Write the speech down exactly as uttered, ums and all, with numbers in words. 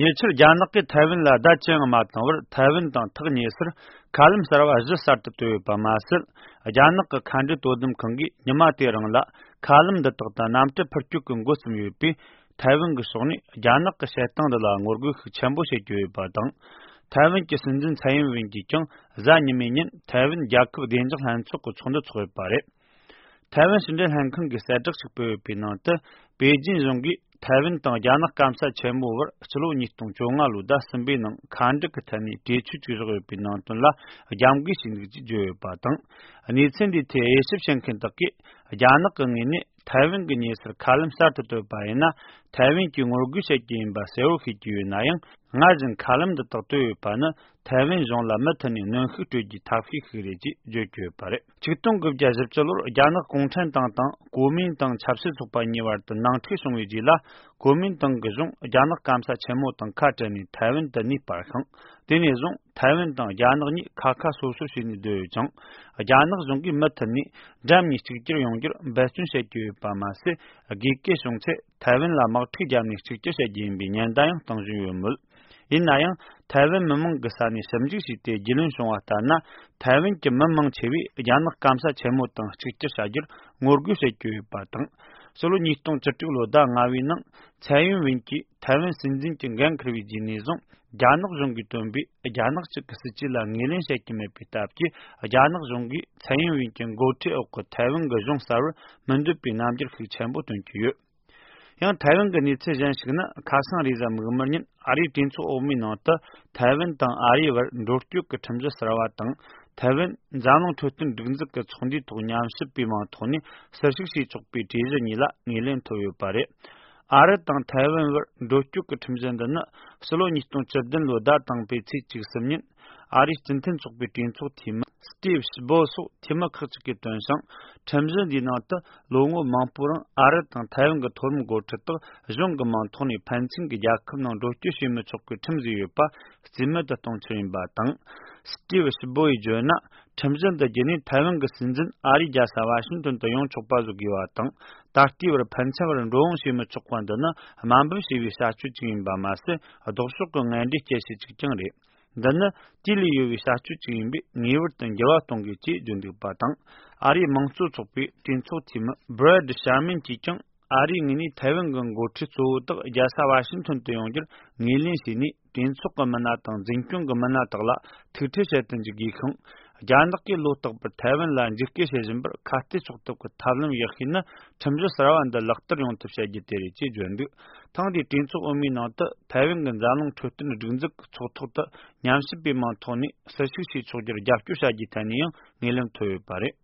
ཉེ་ཆར་རྒྱ་ནག་གིས་ཐའེ་ཝན་ལ་བརྡ་ཅི་ཡང་མ་བཏང་བར། ཐའེ་ཝན་དང་ཐག་ཉེ་སར་མཁའ་ལམ་གསར་བ་བཞི་གསར་དུ་བཏོད་ཡོད་པ་མ་ཟད། རྒྱ་ནག་གི་མཁའ་འགྲུལ་དོ་དམ་ཁང་གིས་ཉི་མ་དེ་རིང་ལ་མཁའ་ལམ་འདི་དག་ཏུ་གནམ་གྲུ་འཕུར་སྐྱོད་ཀྱི་འགོ་བརྩམས་ཡོད་པས། ཐའེ་ཝན་གྱི་ཕྱོགས་ནས་རྒྱ་ནག་གི་བྱེད་སྟངས་འདི་ལ་ངོ་རྒོལ་ཤུགས་ཆེན་པོ་བྱེད་ཀྱི་ཡོད་པ་དང་། ཐའེ་ཝན་གྱི་སྲིད་འཛིན་ཚའེ་ཡིན་ཝེན་གྱིས་ཀྱང་གཟའ་ཉི་མའི་ཉིན་ཐའེ་ཝན་རྒྱལ་ཁབ་བདེ་འཇགས་ལྷན་ཚོགས་ཀྱི་ཚོགས་འདུ་འཚོགས་ཡོད་པ་རེད། ཐའེ་ཝན་ཕྱི་འབྲེལ་ལྷན་ཁང་གིས་གསལ་བསྒྲགས་ཤིག་སྤེལ་ཡོད་པའི་ནང་དུ། པེ་ཅིན་གཞུང་གིས་ཐའེ་ཝན་དང་རྒྱ་ནག་སྐམ་ས་ཆེན་མོ་བར་ཕྱི་ལོ་ཉིས་སྟོང་བཅོ་ལྔ་ལོའི་ཟླ་གསུམ་པའི་ནང་མཁའ་འགྲུལ་གྱི་ཐད་ནས་གྲོས་ཆོད་ཅིག་བཞག་ཡོད་པའི་ནང་དོན་ལ་རྒྱབ་འགལ་བྱས་འདུག་ཅེས་བརྗོད་ཡོད་པ་དང་། གནས་ཚུལ་འདིའི་ཐད་དབྱེ་ཞིབ་བྱེད་མཁན་དག་གིས། རྒྱ་ནག་གི་ངོས་ནས་ཐའེ་ཝན་གྱི་ཉེ་སར་མཁའ་ལམ་གསར་དུ་བཏོད་པ་ཡིན་ན། ཐའེ་ཝན་གྱིས་ངོ་རྒོལ་བྱེད་རྒྱུ་ཡིན་པ་གསལ་བོ་ཤེས་ཀྱི་ཡོད་ན་ཡང་། སྔར་བཞིན་མཁའ་ལམ་འདི་དག་བཏོད་ཡོད་པ་ནི། ཐའེ་ཝན་གཞུང་ལ་མུ་མཐུད་ནས་གནོན་ཤུགས་སྤྲོད་རྒྱུའི་ཐབས་ཤེས་ཤིག་རེད་ཅེས་བརྗོད་ཀྱི་ཡོད་པ་རེད། ཆིག་སྟོང་དགུ་བརྒྱ་བཞི་བཅུ་ལོར་རྒྱ་ནག་གུང་ཁྲན་ཏང་དང་གོ་མིན་ཏང་ཆབ་སྲིད་ཚོགས་པ་གཉིས་བར་དུ་ནང་འཁྲུག་བྱུང་བའི་རྗེས་ལ། གོ་མིན་ཏང་གི་གཞུང་རྒྱ་ནག་སྐམ་ས་ཆེན་མོ་དང་ཁ་བྲལ་ནས་ཐའེ་ཝན་དུ་གནས་སྤར་ཤིང་། དེ་ནས་བཟུང་ཐའེ་ཝན་དང་རྒྱ་ནག་གཉིས་ཁ་ཁ་སོ་སོ་བྱས་ནས་སྡོད་ཡོད་ཅིང་། རྒྱ་ནག་གཞུང་གིས་མུ་མཐུད་ནས་འགྲམ་གཉིས་གཅིག་གྱུར་ཡོང་རྒྱུར་འབད་བརྩོན་བྱེད་ཀྱི་ཡོད་པ་མ་ཟད། དགོས་གལ་བྱུང་ཚེ་ཐའེ་ཝན་ལ་དམག་འཁྲུག་བརྒྱབ་ནས་གཅིག་གྱུར་བྱེད་རྒྱུ་ཡིན་པའི་ཉེན་བརྡ་ཡང་གཏོང་བཞིན་ཡོད་མོད། ཡིན་ན་ཡང་། ཐའེ་ཝན་མི་མང་གི་ས་ནས་ཞིབ་འཇུག་བྱས་ཏེ་རྒྱུས་ལོན་བྱུང་བ་ལྟར་ན། ཐའེ་ཝན་གྱི་མི་མང་ཆེ་བས་རྒྱ་ནག་སྐམ་ས་ཆེན་མོ་དང་གཅིག་གྱུར་བྱ་རྒྱུར་ངོ་རྒོལ་བྱེད་ཀྱི་ཡོད་པ་དང་། ཕྱི་ལོ་ཉིས་སྟོང་བཅུ་དྲུག་ལོའི་ཟླ་ལྔ་བའི་ནང་། ཚའེ་ཡིན་ཝེན་གྱིས་ཐའེ་ཝན་སྲིད་འཛིན་གྱི་འགན་འཁུར་བའི་རྗེས་ནས་བཟུང་། རྒྱ་ནག་གཞུང་གིས་བཏོན་པའི་རྒྱ་ནག་གཅིག་གི་སྲིད་ཇུས་ལ་ངོས་ལེན་བྱེད་ཀྱི་མེད་པའི་སྟབས་ཀྱིས། རྒྱ་ནག་གཞུང་གིས་ཚའེ་ཡིན་ཝེན་གྱི་འགོ་ཁྲིད་འོག་གི་ཐའེ་ཝན་གྱི་གཞུང་གསར་བར་མི་འདོད་པའི་རྣམ་འགྱུར་ཤུགས་ཆེན་པོ་སྟོན་གྱི་ཡོད། ཡང་ཐའེ་ཝན་གྱི་གནས་ཚུལ་གཞན་ཞིག་ནི། ཁ་སང་རེས་གཟའ་མིག་དམར་ཉིན་ཨ་རིའི་གྲོས་ཚོགས་འོག་མའི་ནང་དུ་ཐའེ་ཝན་དང་ཨ་རིའི་བར་འགྲོ་སྐྱོད་ཀྱི་ཁྲིམས་གཞི་གསར་བ་དང་། ཐའེ་ཝན་འཛམ་གླིང་འཕྲོད་བསྟེན་སྒྲིག་འཛུགས་ཀྱི་ཚོགས་འདུའི་ཐོག་ཉམས་ཞིབ་པའི་མིང་ཐོག་ནས་ཟུར་ཞུགས་བྱས་ཆོག་པའི་གྲོས་གཞི་གཉིས་ལ་ངོས་ལེན་ཐོབ་ཡོད་པ་རེད། ཨ་རི་དང་ཐའེ་ཝན་བར་འགྲོ་སྐྱོད་ཀྱི་ཁྲིམས་གཞི་འདི་ནི་ཕྱི་ལོ་ཉིས་སྟོང་བཅུ་བདུན་ལོའི་ཟླ་དང་པོའི་ཚེས་བཅུ་གསུམ་ཉིན། ཨ་རིའི་སྤྱི་མཐུན་ཚོགས་པའི་གྲོས་ཚོགས་འཐུས་མི་སི་ཏིབ་ཤི་བོ་སོགས་འཐུས་མི་ཁག་ཅིག་གིས་བཏོན་ཞིང་། ཁྲིམས་གཞི་འདིའི་ནང་དུ་ལོ་ངོ་མང་པོའི་རིང་ཨ་རི་དང་ཐའེ་ཝན་གྱི་མཐོ་རིམ་འགོ་ཁྲིད་དག་གཞུང་གི་མིང་ཐོག་ནས་ཕན་ཚུན་གྱི་རྒྱལ་ཁབ་ནང་འགྲོ་སྐྱོད་བྱེད་མི་ཆོག་པའི་ཁྲིམས་བཟོས་ཡོད་པ་རྩིས་མེད་དུ་གཏོང་ཕྱིར་ཡིན་པ་དང་། སི་ཏིབ་ཤི་བོ་ཡིས་བརྗོད་ན། ཁྲིམས་གཞི་འདི་བརྒྱུད་ནས་ཐའེ་ཝན་གྱི་སྲིད་འཛིན་ཨ་རིའི་རྒྱལ་ས་ཝ་ཤིང་ཏོན་དུ་ཡོང་ཆོག་པ་བཟོ་དགོས་པ་དང་། ད་ལྟའི་བར་ཕན་ཚུན་བར་འགྲོ་འོང་བྱེད་མི་ཆོག་པ་འདི་ནི་དམའ་འབེབས་བྱས་པའི་བྱ་སྤྱོད་ཅིག་ཡིན་པ་མ་ཟད། ལྡོག་ཕྱོགས་ཀྱི་ངན་འབྲས་སྐྱེད་བྱེད་ཅིག་ཀྱང་རེད། འདི་ནི་དུས་ལས་ཡོལ་བའི་བྱ་སྤྱོད་ཅིག་ཡིན་པས་ངེས་པར་དུ་འགྱུར་བ་གཏོང་དགོས་ཅེས་བརྗོད་འདུག་པ་དང་། ཨ་རིའི་དམངས་གཙོ་ཚོགས་པའི་གྲོས་ཚོགས་འཐུས་མི་བྷི་རེད་ཤར་མན་གྱིས་ཀྱང་ཨ་རིའི་ངོས་ནས་ཐའེ་ཝན་གྱི་འགོ་ཁྲིད་གཙོ་བོ་དག་རྒྱལ་ས་ཝ་ཤིང་ཏོན་དུ་ཡོང་རྒྱུར་ངོས་ལེན་བྱས་ནས། གྲོས་ཚོགས་ཀྱི་མི་སྣ་དང་འཛིན་སྐྱོང་གི་མི་སྣ་དག་ལ་ཐུག་འཕྲད་བྱེད་དུ་འཇུག་དགོས་ཤིང་། རྒྱ་ནག་གིས་ལོ་རྟག་པར་ཐའེ་ཝན་ལ་འཇིགས་སྐུལ་བྱེད་བཞིན་པར་ཁ་གཏད་གཅོག་ཐབས་ཀྱི་ཐབས་ལམ་ཡག་ཤོས་ནི། ཁྲིམས་གཞི་གསར་བ་འདི་ལག་བསྟར་ཡོང་ཐབས་བྱ་རྒྱུ་དེ་རེད་ཅེས་བརྗོད་འདུག་ཐེངས་འདིའི་གྲོས་ཚོགས་འོག་མའི་ནང་དུ་ཐའེ་ཝན་གྱི་འཛམ་གླིང་འཕྲོད་བསྟེན་སྒྲིག་འཛུགས་ཀྱི་ཚོགས་ཐོག་ཏུ་ཉམས་ཞིབ་པའི་མིང་ཐོག་ནས་ཟུར་ཞུགས་བྱས་ཆོག་རྒྱུར་རྒྱབ་སྐྱོར་བྱ་རྒྱུའི་ཐད་ནས་ཡང་ངོས་ལེན་ཐོབ་ཡོད་པ་རེད།